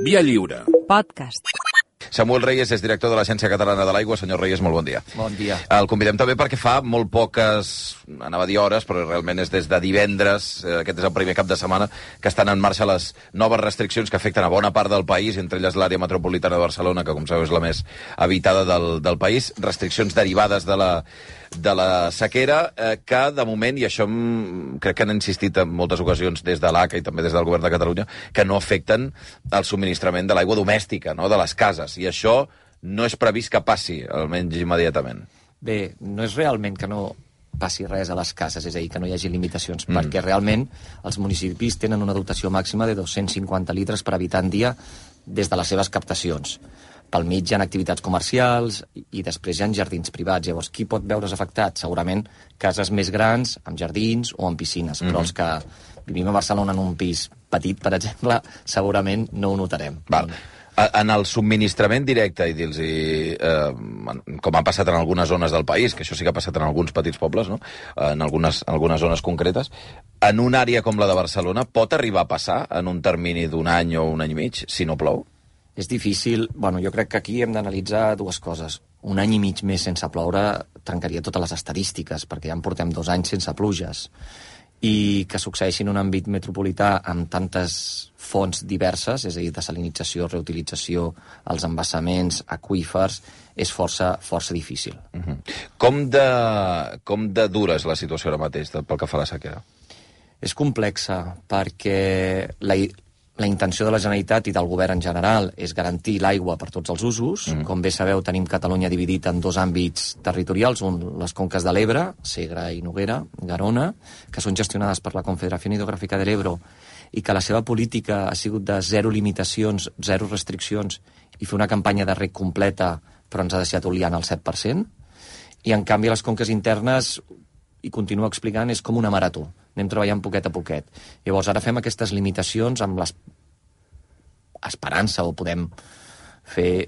Via Lliure. Podcast. Samuel Reyes és director de l'Agència Catalana de l'Aigua. Senyor Reyes, molt bon dia. Bon dia. El convidem també perquè fa molt poques, anava a dir hores, però realment és des de divendres, aquest és el primer cap de setmana, que estan en marxa les noves restriccions que afecten a bona part del país, entre elles l'àrea metropolitana de Barcelona, que com sabeu és la més habitada del país. Restriccions derivades de la sequera, que de moment, i això crec que han insistit en moltes ocasions des de l'ACA i també des del govern de Catalunya, que no afecten el subministrament de l'aigua domèstica, no?, de les cases. I això no és previst que passi, almenys immediatament. Bé, no és realment que no passi res a les cases, és a dir, que no hi hagi limitacions, perquè realment els municipis tenen una dotació màxima de 250 litres per habitant dia des de les seves captacions. Pel mig hi ha activitats comercials i després hi ha jardins privats. Llavors, qui pot veure's afectat? Segurament cases més grans, amb jardins o amb piscines, però els que vivim a Barcelona en un pis petit, per exemple, segurament no ho notarem. Val. En el subministrament directe, i dir-los, com ha passat en algunes zones del país, que això sí que ha passat en alguns petits pobles, no?, en algunes zones concretes, en una àrea com la de Barcelona pot arribar a passar en un termini d'un any o un any i mig, si no plou? És difícil. Bueno, jo crec que aquí hem d'analitzar dues coses. Un any i mig més sense ploure trencaria totes les estadístiques, perquè ja en portem 2 anys sense pluges. I que succeeixi en un àmbit metropolità amb tantes fonts diverses, és a dir, desalinització, reutilització, els embassaments, aqüífers, és força difícil. Com de dura és la situació ara mateix pel que fa a la sequera? És complexa, perquè la intenció de la Generalitat i del govern en general és garantir l'aigua per tots els usos. Com bé sabeu, tenim Catalunya dividit en 2 àmbits territorials, les conques de l'Ebre, Segre i Noguera, Garona, que són gestionades per la Confederación Hidrográfica del Ebro, i que la seva política ha sigut de 0 limitacions, 0 restriccions, i fer una campanya de reg completa, però ens ha deixat oliant el 7%. I, en canvi, les conques internes, i continuo explicant, és com una marató. Anem treballant poquet a poquet. Llavors, ara fem aquestes limitacions amb l'esperança, o podem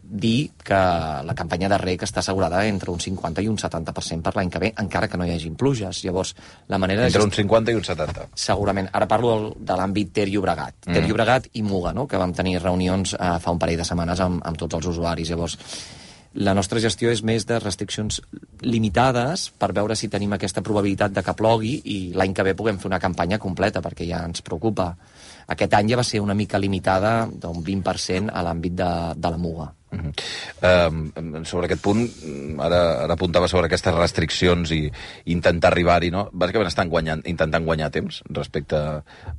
dir que la campanya de reg està assegurada entre un 50 i un 70% per l'any que ve, encara que no hi hagin pluges. Llavors, la manera entre un 50 i un 70. Segurament. Ara parlo de l'àmbit Ter-Llobregat. Ter-Llobregat i Muga, no?, que vam tenir reunions fa un parell de setmanes amb tots els usuaris. Llavors, la nostra gestió és més de restriccions limitades per veure si tenim aquesta probabilitat de que plogui i l'any que ve puguem fer una campanya completa, perquè ja ens preocupa. Aquest any ja va ser una mica limitada d'un 20% a l'àmbit de la Muga. Sobre aquest punt, ara apuntava sobre aquestes restriccions i intentar arribar-hi, no? Bàsicament estan intentant guanyar temps respecte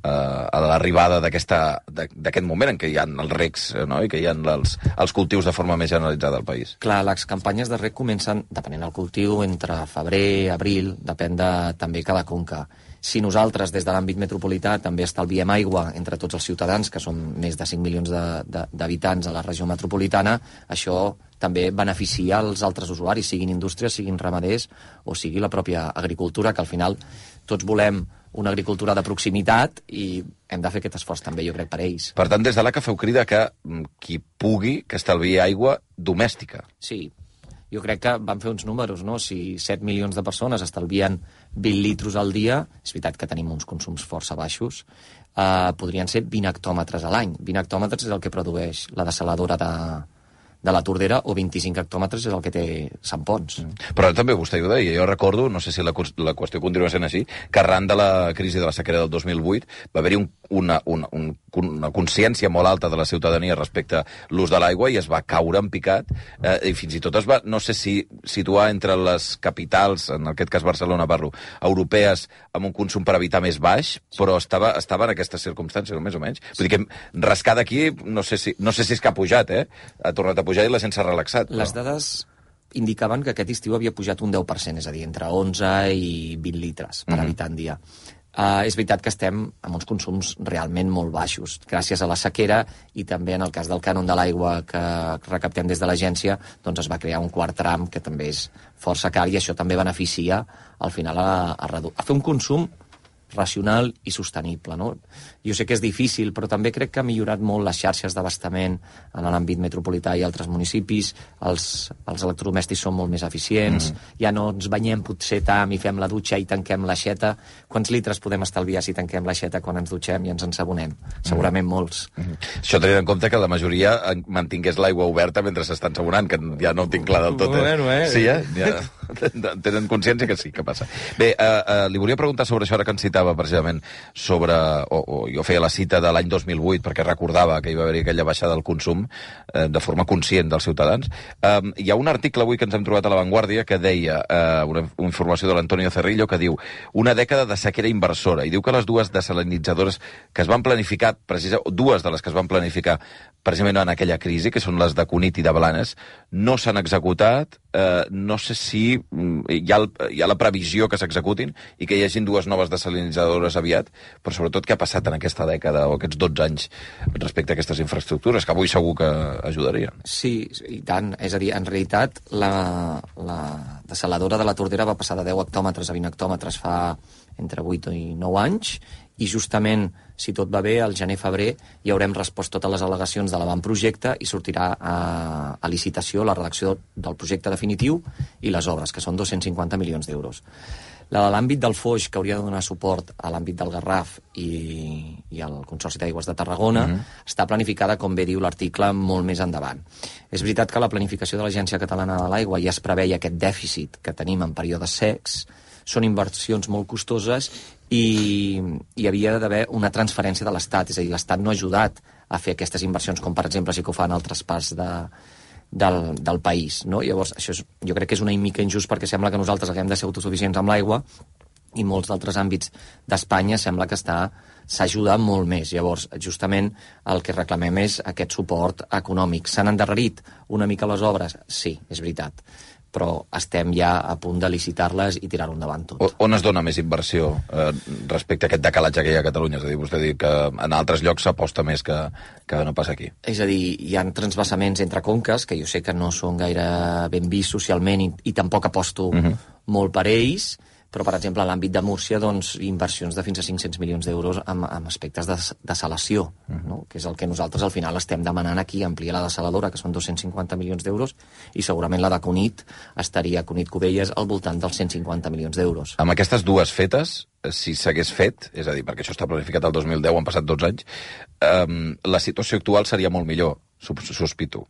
a l'arribada d'aquest moment en què hi ha els regs, no?, i que hi ha els cultius de forma més generalitzada al país. Clar, les campanyes de reg comencen, depenent del cultiu, entre febrer, abril, depèn també cada conca. Si nosaltres, des de l'àmbit metropolità, també estalviem aigua entre tots els ciutadans, que són més de 5 milions d'habitants a la regió metropolitana, això també beneficia els altres usuaris, siguin indústries, siguin ramaders o sigui la pròpia agricultura, que al final tots volem una agricultura de proximitat i hem de fer aquest esforç també, jo crec, per ells. Per tant, des de l'ACA feu crida que qui pugui, que estalviï aigua domèstica. Sí. Jo crec que vam fer uns números, no? Si 7 milions de persones estalvien 20 litros al dia, és veritat que tenim uns consums força baixos, podrien ser 20 hectòmetres a l'any. 20 hectòmetres és el que produeix la dessaladora de la Tordera, o 25 hectòmetres és el que té Sant Pons. Però també vostè ho deia, jo recordo, no sé si la qüestió continua sent així, que arran de la crisi de la sequera del 2008 va haver-hi una consciència molt alta de la ciutadania respecte a l'ús de l'aigua i es va caure en picat, i fins i tot es va, no sé si situar entre les capitals, en aquest cas Barcelona, parlo, europees, amb un consum per habitar més baix, però estava en aquestes circumstàncies, més o menys. Vull dir que rascar d'aquí, no sé si és que ha pujat, ha tornat a pujar i la gent s'ha relaxat. Les dades indicaven que aquest estiu havia pujat un 10%, és a dir, entre 11 i 20 litres per habitant dia. És veritat que estem amb uns consums realment molt baixos, gràcies a la sequera, i també en el cas del cànon de l'aigua que recaptem des de l'agència, doncs es va crear un quart tram que també és força car, i això també beneficia al final a fer un consum racional i sostenible, no? Jo sé que és difícil, però també crec que ha millorat molt les xarxes d'abastament en l'àmbit metropolità i altres municipis, els electrodomèstics són molt més eficients, ja no ens banyem potser tant i fem la dutxa i tanquem l'aixeta. Quants litres podem estalviar si tanquem l'aixeta quan ens dutxem i ens ensabonem? Segurament molts. Això tenint en compte que la majoria mantingués l'aigua oberta mentre s'està ensabonant, que ja no ho tinc clar del tot. Sí, ja tenen consciència que sí, que passa. Bé, li volia preguntar sobre això, ara que ens citava precisament sobre, o jo feia la cita de l'any 2008 perquè recordava que hi va haver aquella baixada del consum de forma conscient dels ciutadans. Hi ha un article avui que ens hem trobat a La Vanguardia que deia, una informació de l'Antonio Cerrillo, que diu una dècada de sequera inversora, i diu que les dues desalinitzadores que es van planificar, dues de les que es van planificar precisament en aquella crisi, que són les de Cunit i de Blanes, no s'han executat. No sé si hi ha la previsió que s'executin i que hi hagin dues noves desalinitzadores aviat, però sobretot què ha passat en aquesta dècada o aquests 12 anys respecte a aquestes infraestructures, que avui segur que ajudarien. Sí, i tant. És a dir, en realitat, la desaladora de la Tordera va passar de 10 hectòmetres a 20 hectòmetres fa entre 8 i 9 anys, i justament, si tot va bé, al gener-febrer hi haurem respost totes les al·legacions de l'avantprojecte i sortirà a licitació la redacció del projecte definitiu i les obres, que són 250 milions d'euros. La de l'àmbit del Foix, que hauria de donar suport a l'àmbit del Garraf i al Consorci d'Aigües de Tarragona, està planificada, com bé diu l'article, molt més endavant. És veritat que la planificació de l'Agència Catalana de l'Aigua ja es preveia aquest dèficit que tenim en períodes secs, són inversions molt costoses i hi havia d'haver una transferència de l'Estat, és a dir, l'Estat no ha ajudat a fer aquestes inversions, com per exemple sí que ho fan altres parts del país, no? Llavors, això jo crec que és una mica injust perquè sembla que nosaltres haguem de ser autosuficients amb l'aigua i molts d'altres àmbits d'Espanya sembla que s'ajuda molt més. Llavors, justament el que reclamem és aquest suport econòmic. S'han endarrerit una mica les obres? Sí, és veritat, però estem ja a punt de licitar-les i tirar-ho endavant tot. On es dona més inversió respecte a aquest decalatge que hi ha a Catalunya? És a dir, vostè diu que en altres llocs s'aposta més que no passa aquí. És a dir, hi ha transvasaments entre conques, que jo sé que no són gaire ben vist socialment i tampoc aposto molt per ells, però, per exemple, a l'àmbit de Múrcia, doncs, inversions de fins a 500 milions d'euros amb aspectes de desalació, no? Que és el que nosaltres al final estem demanant aquí, ampliar la desaladora, que són 250 milions d'euros, i segurament la de Cunit estaria, Cunit-Cubelles, al voltant dels 150 milions d'euros. Amb aquestes dues fetes, si s'hagués fet, és a dir, perquè això està planificat el 2010, han passat 12 anys, la situació actual seria molt millor, sospito,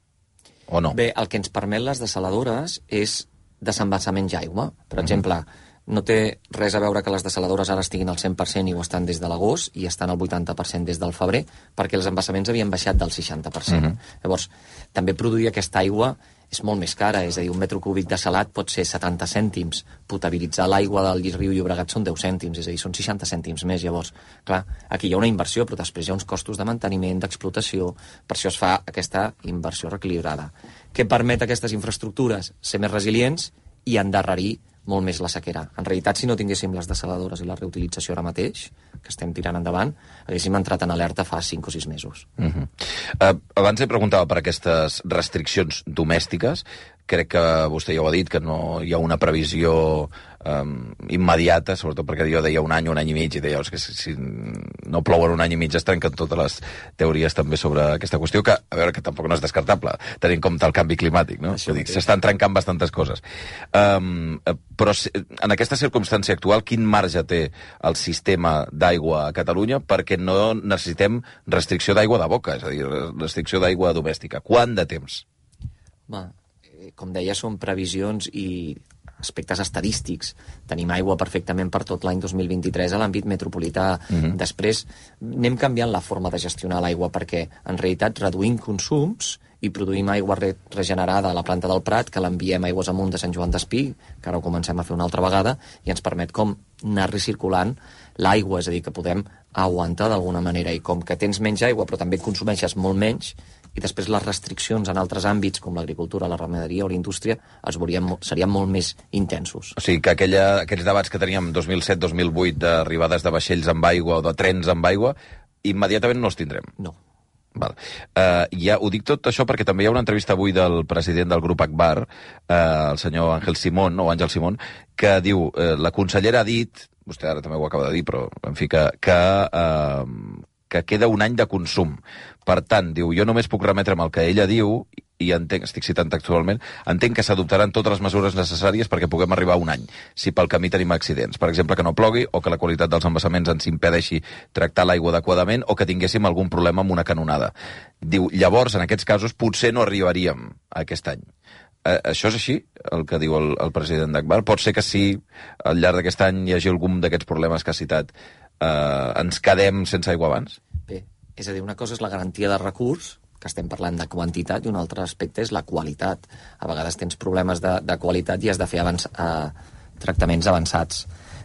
o no? Bé, el que ens permet les desaladores és desembassament d'aigua. Per exemple, no té res a veure que les desaladores ara estiguin al 100% i ho estan des de l'agost i estan al 80% des del febrer, perquè els embassaments havien baixat del 60%. Llavors, també produir aquesta aigua és molt més cara, és a dir, un metre cúbic de salat pot ser 70 cèntims, potabilitzar l'aigua del Riu Llobregat són 10 cèntims, és a dir, són 60 cèntims més. Llavors, clar, aquí hi ha una inversió, però després hi ha uns costos de manteniment, d'explotació, per això es fa aquesta inversió reequilibrada. Què permet aquestes infraestructures? Ser més resilients i endarrerir molt més la sequera. En realitat, si no tinguéssim les desaladores i la reutilització ara mateix, que estem tirant endavant, haguéssim entrat en alerta fa 5 o 6 mesos. Abans he preguntava per aquestes restriccions domèstiques. Crec que vostè ja ho ha dit, que no hi ha una previsió immediata, sobretot perquè jo deia un any i mig, i deia que si no plouen un any i mig es trenquen totes les teories també sobre aquesta qüestió, que a veure, que tampoc no és descartable, tenint en compte el canvi climàtic, no? S'estan trencant bastantes coses. Però en aquesta circumstància actual, quin marge té el sistema d'aigua a Catalunya perquè no necessitem restricció d'aigua de boca, és a dir, restricció d'aigua domèstica? Quant de temps? Com deia, són previsions i aspectes estadístics. Tenim aigua perfectament per tot l'any 2023 a l'àmbit metropolità. Després anem canviant la forma de gestionar l'aigua perquè, en realitat, reduïm consums i produïm aigua regenerada a la planta del Prat, que l'enviem aigües amunt de Sant Joan d'Espí, que ara ho comencem a fer una altra vegada, i ens permet com anar recirculant l'aigua, és a dir, que podem aguantar d'alguna manera. I com que tens menys aigua però també consumeixes molt menys, i després les restriccions en altres àmbits, com l'agricultura, la ramaderia o la indústria, serien molt més intensos. O sigui, que aquells debats que teníem 2007-2008 d'arribades de vaixells amb aigua o de trens amb aigua, immediatament no els tindrem. No. Val. Ja ho dic tot això perquè també hi ha una entrevista avui del president del grup Agbar, el senyor Àngel Simón, que diu, la consellera ha dit, vostè ara també ho acaba de dir, però, en fi, que queda un any de consum. Per tant, diu, jo només puc remetre'm al que ella diu, i entenc, estic citant textualment, entenc que s'adoptaran totes les mesures necessàries perquè puguem arribar a un any, si pel camí tenim accidents. Per exemple, que no plogui, o que la qualitat dels embassaments ens impedeixi tractar l'aigua adequadament, o que tinguéssim algun problema amb una canonada. Diu, llavors, en aquests casos, potser no arribaríem a aquest any. Això és així, el que diu el president d'Agbar? Pot ser que sí, al llarg d'aquest any hi hagi algun d'aquests problemes que ha citat, ens quedem sense aigua abans? Bé, és a dir, una cosa és la garantia de recurs, que estem parlant de quantitat, i un altre aspecte és la qualitat. A vegades tens problemes de qualitat i has de fer tractaments avançats.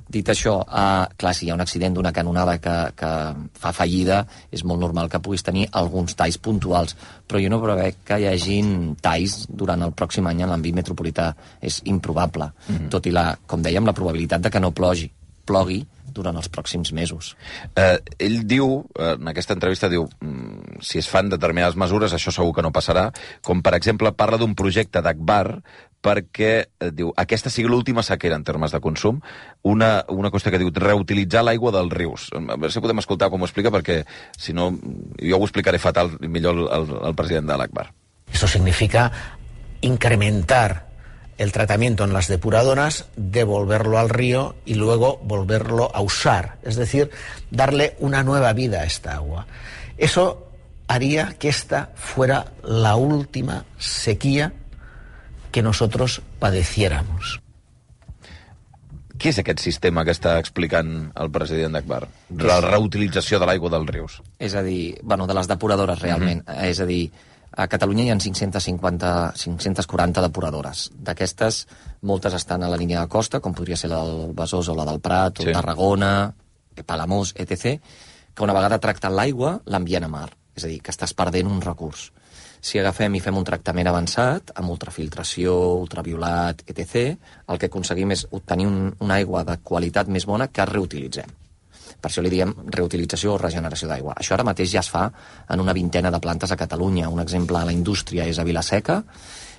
Dit això, clar, si hi ha un accident d'una canonada que fa fallida, és molt normal que puguis tenir alguns talls puntuals, però jo no prevec que hi hagin talls durant el pròxim any en l'àmbit metropolità. És improbable, tot i, com dèiem, la probabilitat de que no plogui durant els pròxims mesos. Ell diu, en aquesta entrevista, diu, si es fan determinades mesures, això segur que no passarà, com per exemple parla d'un projecte d'Agbar perquè, diu, aquesta sigui l'última sequera en termes de consum, una qüestió que diu reutilitzar l'aigua dels rius. A veure si podem escoltar com ho explica, perquè si no, jo ho explicaré fatal, millor el president de l'Agbar. Eso significa incrementar el tratamiento en las depuradoras, devolverlo al río y luego volverlo a usar. Es decir, darle una nueva vida a esta agua. Eso haría que esta fuera la última sequía que nosotros padeciéramos. Què és aquest sistema que està explicant el president d'Agbar? La reutilització de l'aigua dels rius. És a dir, de les depuradores, realment. És a dir, a Catalunya hi ha 540 depuradores. D'aquestes, moltes estan a la línia de costa, com podria ser la del Besòs o la del Prat, o Tarragona, Palamós, etc., que una vegada tractant l'aigua, l'envien a mar. És a dir, que estàs perdent un recurs. Si agafem i fem un tractament avançat, amb ultrafiltració, ultraviolat, etc., el que aconseguim és obtenir una aigua de qualitat més bona que reutilitzem. Per això li diem reutilització o regeneració d'aigua. Això ara mateix ja es fa en una vintena de plantes a Catalunya. Un exemple a la indústria és a Vilaseca.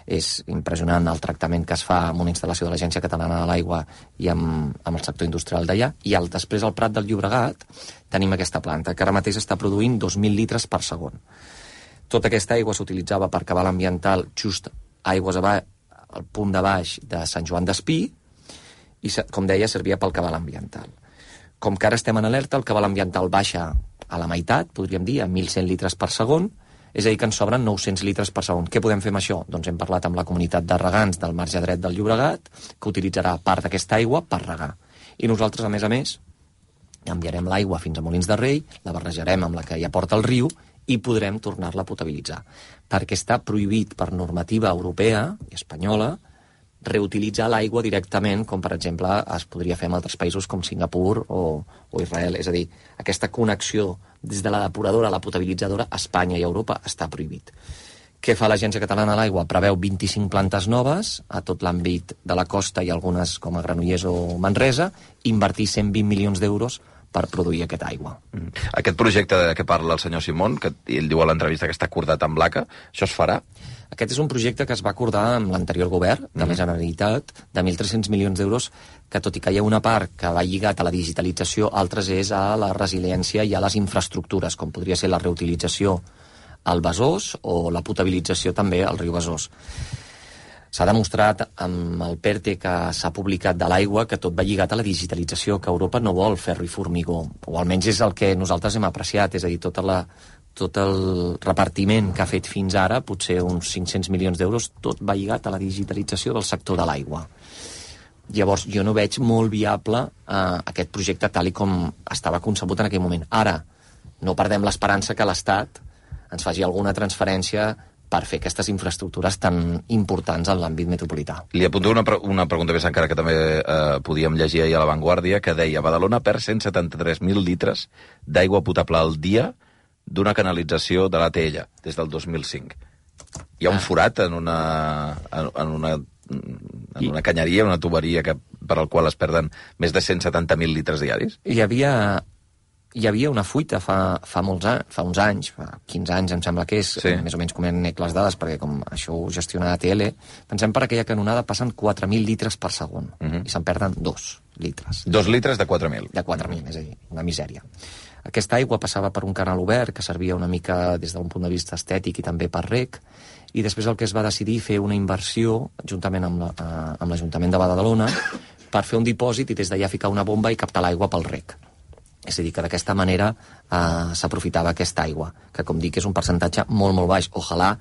És impressionant el tractament que es fa amb una instal·lació de l'Agència Catalana de l'Aigua i amb el sector industrial d'allà. I després al Prat del Llobregat tenim aquesta planta, que ara mateix està produint 2.000 litres per segon. Tota aquesta aigua s'utilitzava per cabal ambiental just aigües al punt de baix de Sant Joan d'Espí i, com deia, servia pel cabal ambiental. Com que ara estem en alerta, el cabal ambiental baixa a la meitat, podríem dir, a 1.100 litres per segon, és a dir, que ens sobren 900 litres per segon. Què podem fer amb això? Doncs hem parlat amb la comunitat de regants del marge dret del Llobregat, que utilitzarà part d'aquesta aigua per regar. I nosaltres, a més, enviarem l'aigua fins a Molins de Rei, la barrejarem amb la que ja porta el riu i podrem tornar-la a potabilitzar. Perquè està prohibit per normativa europea i espanyola reutilitzar l'aigua directament, com per exemple es podria fer en altres països com Singapur o Israel. És a dir, aquesta connexió des de la depuradora a la potabilitzadora a Espanya i a Europa està prohibit. Què fa l'Agència Catalana de l'Aigua? Preveu 25 plantes noves a tot l'àmbit de la costa i algunes com a Granollers o Manresa, invertir 120 milions d'euros per produir aquesta aigua. Aquest projecte de què parla el senyor Simón, que ell diu a l'entrevista que està acordat amb l'ACA, això es farà? Aquest és un projecte que es va acordar amb l'anterior govern de la Generalitat de 1.300 milions d'euros, que tot i que hi ha una part que va lligat a la digitalització, altres és a la resiliència i a les infraestructures, com podria ser la reutilització al Besòs o la potabilització també al riu Besòs. S'ha demostrat amb el PERTE que s'ha publicat de l'aigua que tot va lligat a la digitalització, que Europa no vol ferro i formigó, o almenys és el que nosaltres hem apreciat, és a dir, tot el repartiment que ha fet fins ara, potser uns 500 milions d'euros, tot va lligat a la digitalització del sector de l'aigua. Llavors, jo no veig molt viable aquest projecte tal com estava concebut en aquell moment. Ara, no perdem l'esperança que l'Estat ens faci alguna transferència per fer aquestes infraestructures tan importants en l'àmbit metropolità. Li apunto una pregunta més encara que també podíem llegir ahir a La Vanguardia, que deia: Badalona perd 173.000 litres d'aigua potable al dia d'una canalització de l'ATL des del 2005. Hi ha un forat en una canyeria, una tuberia per al qual es perden més de 170.000 litres diaris? Hi havia una fuita fa uns anys, fa 15 anys em sembla que és, sí. Més o menys conec les dades, perquè com això ho gestiona ATL, pensem per aquella canonada passen 4.000 litres per segon, i se'n perden 2. litres. 2 litres de 4.000. De 4.000, és a dir, una misèria. Aquesta aigua passava per un canal obert que servia una mica des d'un punt de vista estètic i també per rec, i després el que es va decidir fer una inversió, juntament amb l'Ajuntament de Badalona, per fer un dipòsit i des d'allà ficar una bomba i captar l'aigua pel rec. És a dir, que d'aquesta manera s'aprofitava aquesta aigua, que com dic és un percentatge molt, molt baix. Ojalà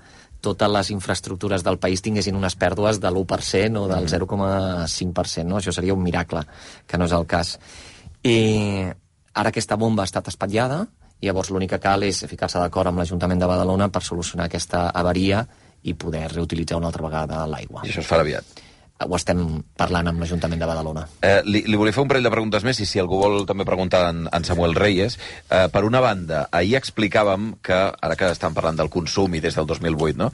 totes les infraestructures del país tinguessin unes pèrdues de l'1% o del 0,5%, no? Això seria un miracle, que no és el cas. I ara aquesta bomba ha estat espatllada, i llavors l'únic que cal és ficar-se d'acord amb l'Ajuntament de Badalona per solucionar aquesta avaria i poder reutilitzar una altra vegada l'aigua. I això es farà aviat. Ho estem parlant amb l'Ajuntament de Badalona. Li volia fer un parell de preguntes més, i si algú vol també preguntar en Samuel Reyes. Per una banda, ahir explicàvem que, ara que estan parlant del consum i des del 2008, no?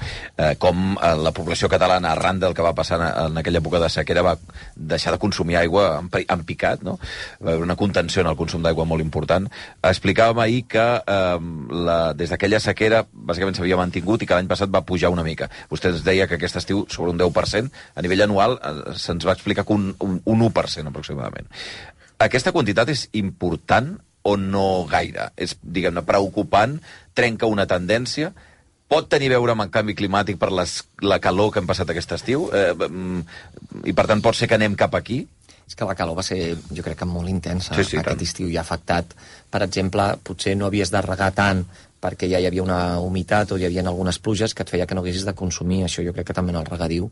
Com la població catalana, arran del que va passar en aquella època de sequera, va deixar de consumir aigua en picat, no? Va haver una contenció en el consum d'aigua molt important. Explicàvem ahir que des d'aquella sequera bàsicament s'havia mantingut i que l'any passat va pujar una mica. Vostè ens deia que aquest estiu sobre un 10%, a nivell anual se'ns va explicar que un 1% aproximadament. Aquesta quantitat és important o no gaire? És, diguem-ne, preocupant? Trenca una tendència? Pot tenir a veure amb el canvi climàtic per la calor que hem passat aquest estiu? I per tant pot ser que anem cap aquí? És que la calor va ser, jo crec que molt intensa. Sí, aquest estiu i ha afectat. Per exemple, potser no havies de regar tant perquè ja hi havia una humitat o hi havia algunes pluges que et feia que no haguessis de consumir. Això jo crec que també en el regadiu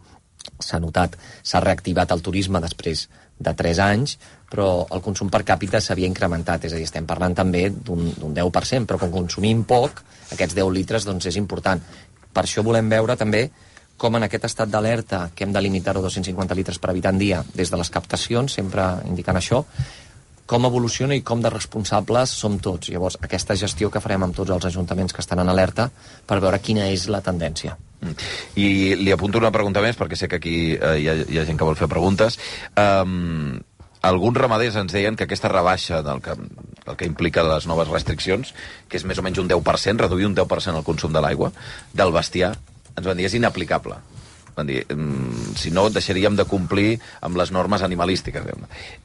s'ha notat. S'ha reactivat el turisme després de 3 anys, però el consum per càpita s'havia incrementat. És a dir, estem parlant també d'un 10%, però com consumim poc, aquests 10 litres doncs és important. Per això volem veure també com en aquest estat d'alerta, que hem de limitar-ho a 250 litres per habitant dia des de les captacions, sempre indicant això, com evoluciona i com de responsables som tots. Llavors, aquesta gestió que farem amb tots els ajuntaments que estan en alerta per veure quina és la tendència. I li apunto una pregunta més, perquè sé que aquí hi ha gent que vol fer preguntes. Alguns ramaders ens deien que aquesta rebaixa del que implica les noves restriccions, que és més o menys un 10%, reduir un 10% el consum de l'aigua, del bestiar, ens van dir és inaplicable. Van dir, si no, deixaríem de complir amb les normes animalístiques,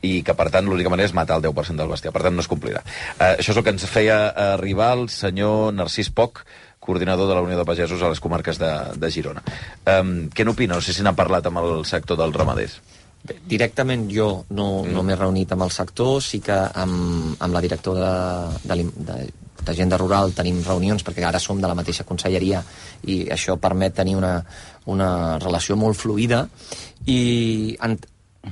i que, per tant, l'única manera és matar el 10% del bestiar. Per tant, no es complirà. Això és el que ens feia arribar el senyor Narcís Poch, coordinador de la Unió de Pagesos a les comarques de Girona. Què n'opina? No sé si n'ha parlat amb el sector dels ramaders. Bé, directament jo no m'he reunit amb el sector, sí que amb la directora d'Agenda Rural tenim reunions, perquè ara som de la mateixa conselleria i això permet tenir una relació molt fluida, i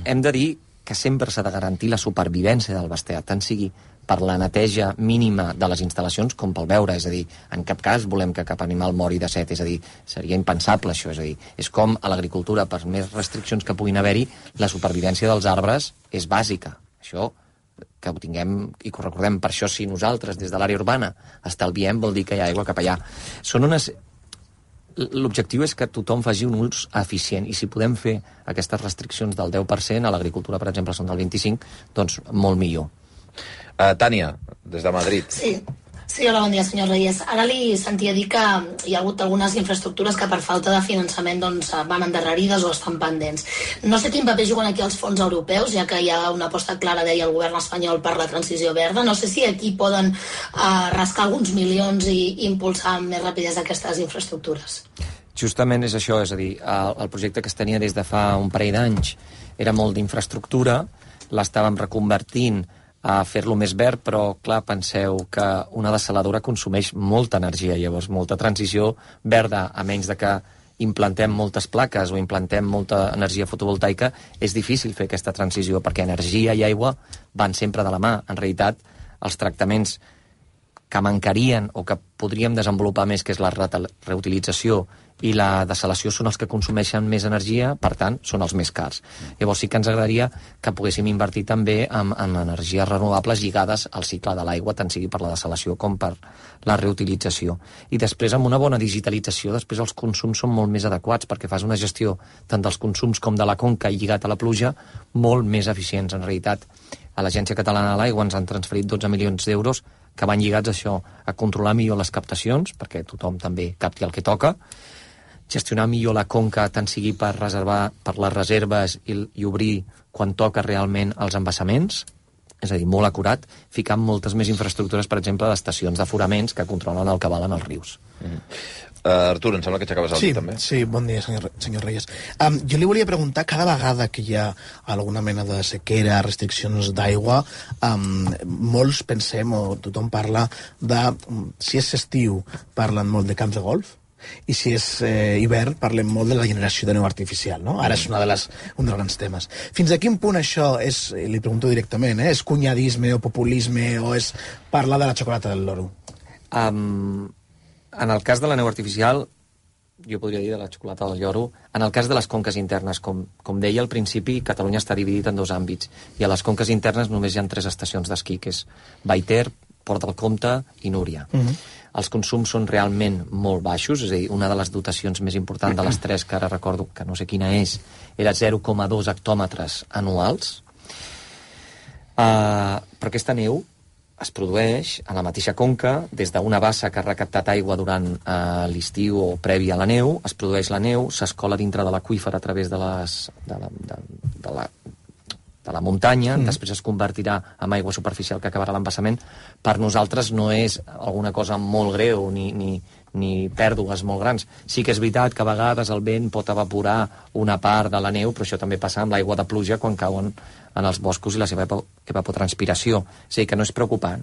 hem de dir que sempre s'ha de garantir la supervivència del bestiar, tant sigui per la neteja mínima de les instal·lacions com pel beure. És a dir, en cap cas volem que cap animal mori de set, és a dir, seria impensable això. És a dir, és com a l'agricultura, per més restriccions que puguin haver-hi, la supervivència dels arbres és bàsica. Això que ho tinguem i que ho recordem. Per això, si nosaltres des de l'àrea urbana estalviem, vol dir que hi ha aigua cap allà. L'objectiu és que tothom faci un ús eficient, i si podem fer aquestes restriccions del 10%, a l'agricultura, per exemple, són del 25%, doncs molt millor. Tània, des de Madrid. Sí, hola, bon dia, senyor Reyes. Ara li sentia dir que hi ha hagut algunes infraestructures que per falta de finançament doncs, van endarrerides o estan pendents. No sé quin paper juguen aquí els fons europeus, ja que hi ha una aposta clara, deia el govern espanyol, per la transició verda. No sé si aquí poden rascar alguns milions i impulsar amb més rapidesa aquestes infraestructures. Justament és això, és a dir, el projecte que es tenia des de fa un parell d'anys era molt d'infraestructura, l'estàvem reconvertint a fer-lo més verd, però, clar, penseu que una dessaladora consumeix molta energia, llavors molta transició verda, a menys de que implantem moltes plaques o implantem molta energia fotovoltaica, és difícil fer aquesta transició, perquè energia i aigua van sempre de la mà. En realitat, els tractaments que mancarien o que podríem desenvolupar més, que és la reutilització i la dessalació, són els que consumeixen més energia, per tant, són els més cars. Llavors sí que ens agradaria que poguéssim invertir també en energies renovables lligades al cicle de l'aigua, tant sigui per la dessalació com per la reutilització. I després, amb una bona digitalització, després els consums són molt més adequats, perquè fas una gestió tant dels consums com de la conca lligat a la pluja molt més eficients. En realitat, a l'Agència Catalana de l'Aigua ens han transferit 12 milions d'euros que van lligats a això, a controlar millor les captacions, perquè tothom també capti el que toca, gestionar millor la conca, tant sigui per reservar per les reserves i obrir quan toca realment els embassaments, és a dir, molt acurat, ficant moltes més infraestructures, per exemple, d'estacions d'aforaments que controlen el cabal en els rius. Artur, em sembla que aixecaves el dit, també. Sí, bon dia, senyor Reyes. Jo li volia preguntar, cada vegada que hi ha alguna mena de sequera, restriccions d'aigua, molts pensem, o tothom parla de, si és estiu, parlen molt de camps de golf, i si és hivern, parlem molt de la generació de neu artificial, no? Ara és un dels grans temes. Fins a quin punt això és, li pregunto directament, és cunyadisme o populisme, o és parlar de la xocolata del loro? En el cas de la neu artificial, jo podria dir de la xocolata del lloro, en el cas de les conques internes, com deia al principi, Catalunya està dividit en 2 àmbits, i a les conques internes només hi ha 3 estacions d'esquí, que és Baiter, Port del Comte i Núria. Els consums són realment molt baixos, és a dir, una de les dotacions més importants de les 3, que ara recordo que no sé quina és, era 0,2 hectòmetres anuals. Però aquesta neu es produeix a la mateixa conca, des d'una bassa que ha recaptat aigua durant l'estiu o previ a la neu, es produeix la neu, s'escola dintre de l'aqüífer a través de la muntanya, després es convertirà en aigua superficial que acabarà l'embassament. Per nosaltres no és alguna cosa molt greu ni pèrdues molt grans. Sí que és veritat que a vegades el vent pot evaporar una part de la neu, però això també passa amb l'aigua de pluja quan cauen en els boscos i la seva evapotranspiració. És a dir, que no és preocupant.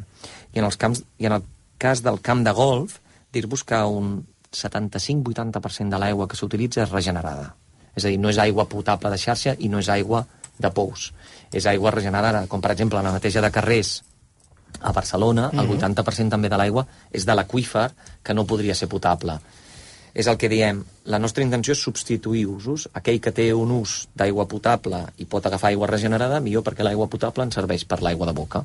I en el cas del camp de golf, dir-vos que un 75-80% de l'aigua que s'utilitza és regenerada. És a dir, no és aigua potable de xarxa i no és aigua de pous. És aigua regenerada, com per exemple la neteja de carrers a Barcelona, el 80% també de l'aigua és de l'aqüífer, que no podria ser potable. És el que diem, la nostra intenció és substituir usos. Aquell que té un ús d'aigua potable i pot agafar aigua regenerada, millor, perquè l'aigua potable ens serveix per l'aigua de boca.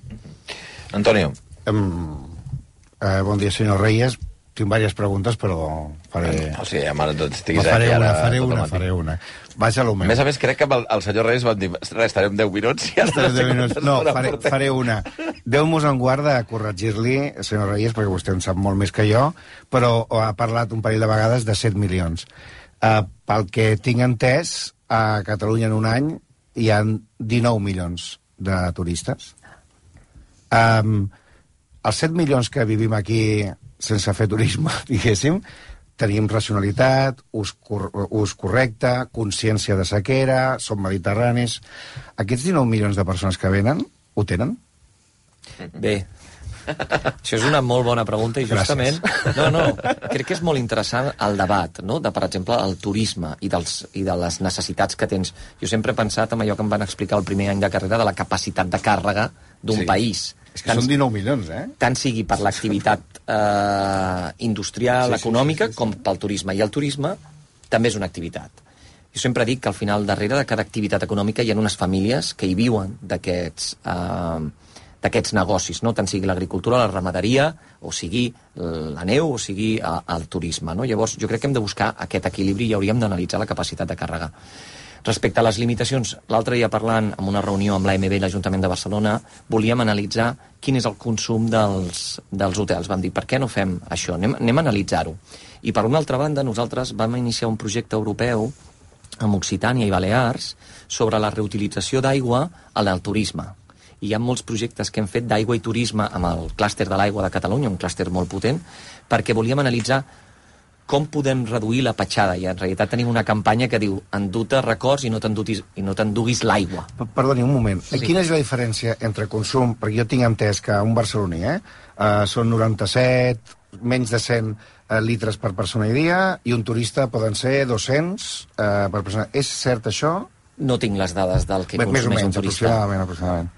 Antonio. Bon dia, senyor Reyes. Tinc diverses preguntes, però faré... O sigui, estiguis faré aquí ara... faré una. Vaig a lo meu. A més, més, crec que el senyor Reyes va dir estarem 10 minuts i ara... 10 minuts. No, faré una. Déu-nos en guard de corregir-li, senyor Reyes, perquè vostè en sap molt més que jo, però ha parlat un parell de vegades de 7 milions. Pel que tinc entès, a Catalunya en un any hi ha 19 milions de turistes. Els 7 milions que vivim aquí sense fer turisme, diguéssim, tenim racionalitat, ús correcte, consciència de sequera, som mediterranis. Aquests 19 milions de persones que venen, ho tenen? Bé, això és una molt bona pregunta i justament... crec que és molt interessant el debat, no?, de, per exemple, el turisme i de les necessitats que tens. Jo sempre he pensat en allò que em van explicar el primer any de carrera de la capacitat de càrrega d'un país. És que són 19 milions, Tant sigui per l'activitat industrial, econòmica, com pel turisme. I el turisme també és una activitat. Jo sempre dic que al final, darrere de cada activitat econòmica hi ha unes famílies que hi viuen d'aquests negocis, no? Tant sigui l'agricultura, la ramaderia, o sigui la neu, o sigui el turisme, no? Llavors, jo crec que hem de buscar aquest equilibri i hauríem d'analitzar la capacitat de càrrega. Respecte a les limitacions, l'altre dia parlant en una reunió amb l'AMB i l'Ajuntament de Barcelona, volíem analitzar quin és el consum dels hotels. Vam dir, per què no fem això? Anem a analitzar-ho. I per una altra banda, nosaltres vam iniciar un projecte europeu amb Occitània i Balears sobre la reutilització d'aigua en el turisme. I hi ha molts projectes que hem fet d'aigua i turisme amb el clúster de l'aigua de Catalunya, un clúster molt potent, perquè volíem analitzar com podem reduir la petjada. I en realitat tenim una campanya que diu endur-te records i no t'enduguis l'aigua. Perdoni, un moment. Sí. Quina és la diferència entre consum? Perquè jo tinc entès que un barceloní són 97, menys de 100 litres per persona i dia, i un turista poden ser 200 per persona. És cert això? No tinc les dades del que consumeix un turista. Aproximadament.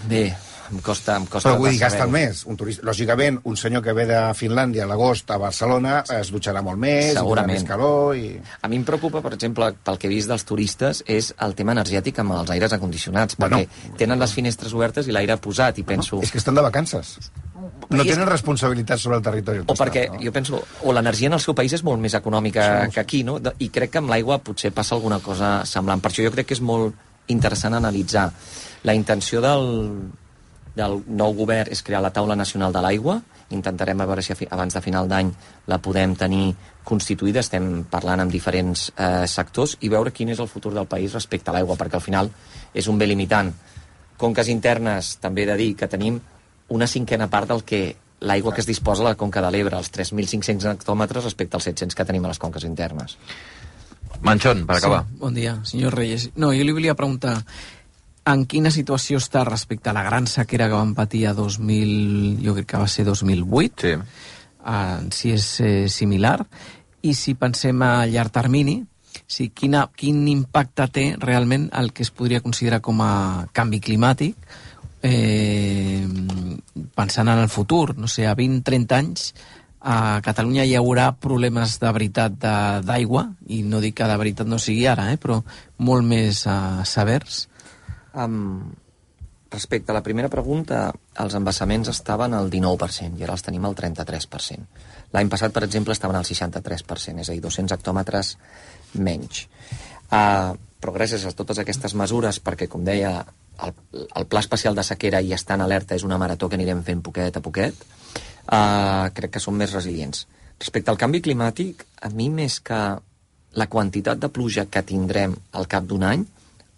Bé, em costa però vull dir, gasten més. Un turista, lògicament, un senyor que ve de Finlàndia a l'agost a Barcelona es dutxarà molt més, segurament. Més calor... A mi em preocupa, per exemple, pel que he vist dels turistes, és el tema energètic amb els aires acondicionats, perquè tenen les finestres obertes i l'aire posat, i penso... És que estan de vacances. No tenen responsabilitat sobre el territori. O perquè, jo penso, o l'energia en el seu país és molt més econòmica que aquí, no? I crec que amb l'aigua potser passa alguna cosa semblant. Per això jo crec que és molt interessant analitzar. La intenció del nou govern és crear la Taula Nacional de l'Aigua, intentarem a veure si abans de final d'any la podem tenir constituïda, estem parlant amb diferents sectors i veure quin és el futur del país respecte a l'aigua, perquè al final és un bé limitant. Conques internes, també he de dir que tenim una cinquena part del que l'aigua que es disposa a la Conca de l'Ebre, els 3.500 hectòmetres respecte als 700 que tenim a les conques internes. Manchón, per acabar. Sí, bon dia, senyor Reyes. No, jo li volia preguntar en quina situació està respecte a la gran sequera que vam patir a 2000, jo crec que va ser 2008, Sí. Si és similar, i si pensem a llarg termini, si quin impacte té realment el que es podria considerar com a canvi climàtic, pensant en el futur, no sé, a 20-30 anys, a Catalunya hi haurà problemes de veritat d'aigua, i no dic que de veritat no sigui ara, però molt més severs. Respecte a la primera pregunta, els embassaments estaven al 19% i ara els tenim al 33%. L'any passat, per exemple, estaven al 63%, és a dir, 200 hectòmetres menys. Però gràcies a totes aquestes mesures, perquè, com deia, el Pla Especial de Sequera i estar en alerta és una marató que anirem fent poquet a poquet, crec que som més resilients. Respecte al canvi climàtic, a mi més que la quantitat de pluja que tindrem al cap d'un any,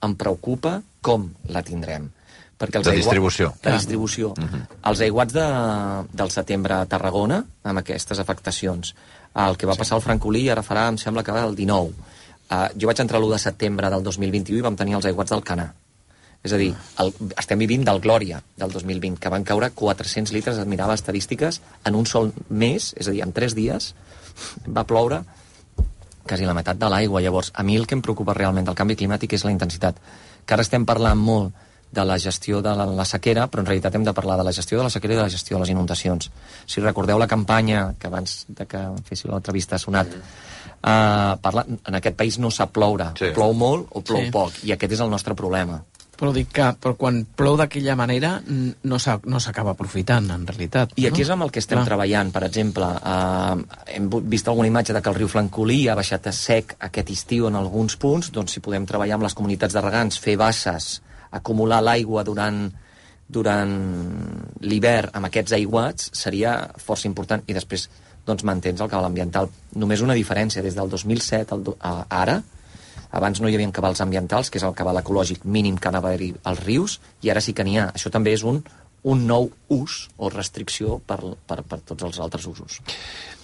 em preocupa com la tindrem. Perquè de distribució. De distribució. Els aiguats del setembre a Tarragona, amb aquestes afectacions, el que va passar al Francolí ara farà, em sembla que el 19. Jo vaig entrar l'1 de setembre del 2021 i vam tenir els aiguats del Canà. És a dir, estem vivint del Glòria del 2020, que van caure 400 litres, es mirava estadístiques, en un sol mes, és a dir, en 3 dies, va ploure quasi la meitat de l'aigua. Llavors, a mi el que em preocupa realment del canvi climàtic és la intensitat. Que ara estem parlant molt de la gestió de la sequera, però en realitat hem de parlar de la gestió de la sequera i de la gestió de les inundacions. Si recordeu la campanya, que abans de que féssiu l'entrevista ha sonat, en aquest país no sap ploure. Sí. Plou molt o plou poc, i aquest és el nostre problema. Però dic que quan plou d'aquella manera no s'acaba aprofitant, en realitat. I aquí és amb el que estem treballant. Per exemple, hem vist alguna imatge de que el riu Francolí ha baixat a sec aquest estiu en alguns punts, doncs si podem treballar amb les comunitats de regants, fer basses, acumular l'aigua durant l'hivern amb aquests aiguats, seria força important. I després doncs, mantens el cabal ambiental. Només una diferència, des del 2007 a ara, abans no hi havia cabals ambientals, que és el cabal ecològic mínim que anava a haver-hi als rius, i ara sí que n'hi ha. Això també és un nou ús o restricció per tots els altres usos.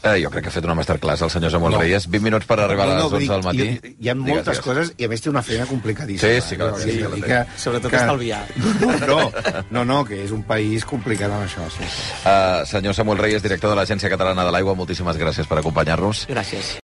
Jo crec que ha fet una masterclass el senyor Samuel Reyes. 20 minuts per arribar a les 11 del matí. Hi ha moltes coses, i a més té una feina complicadíssima. Sí, clar. Sobretot estalviar. No, que és un país complicat amb això. Sí. Senyor Samuel Reyes, director de l'Agència Catalana de l'Aigua, moltíssimes gràcies per acompanyar-nos. Gràcies.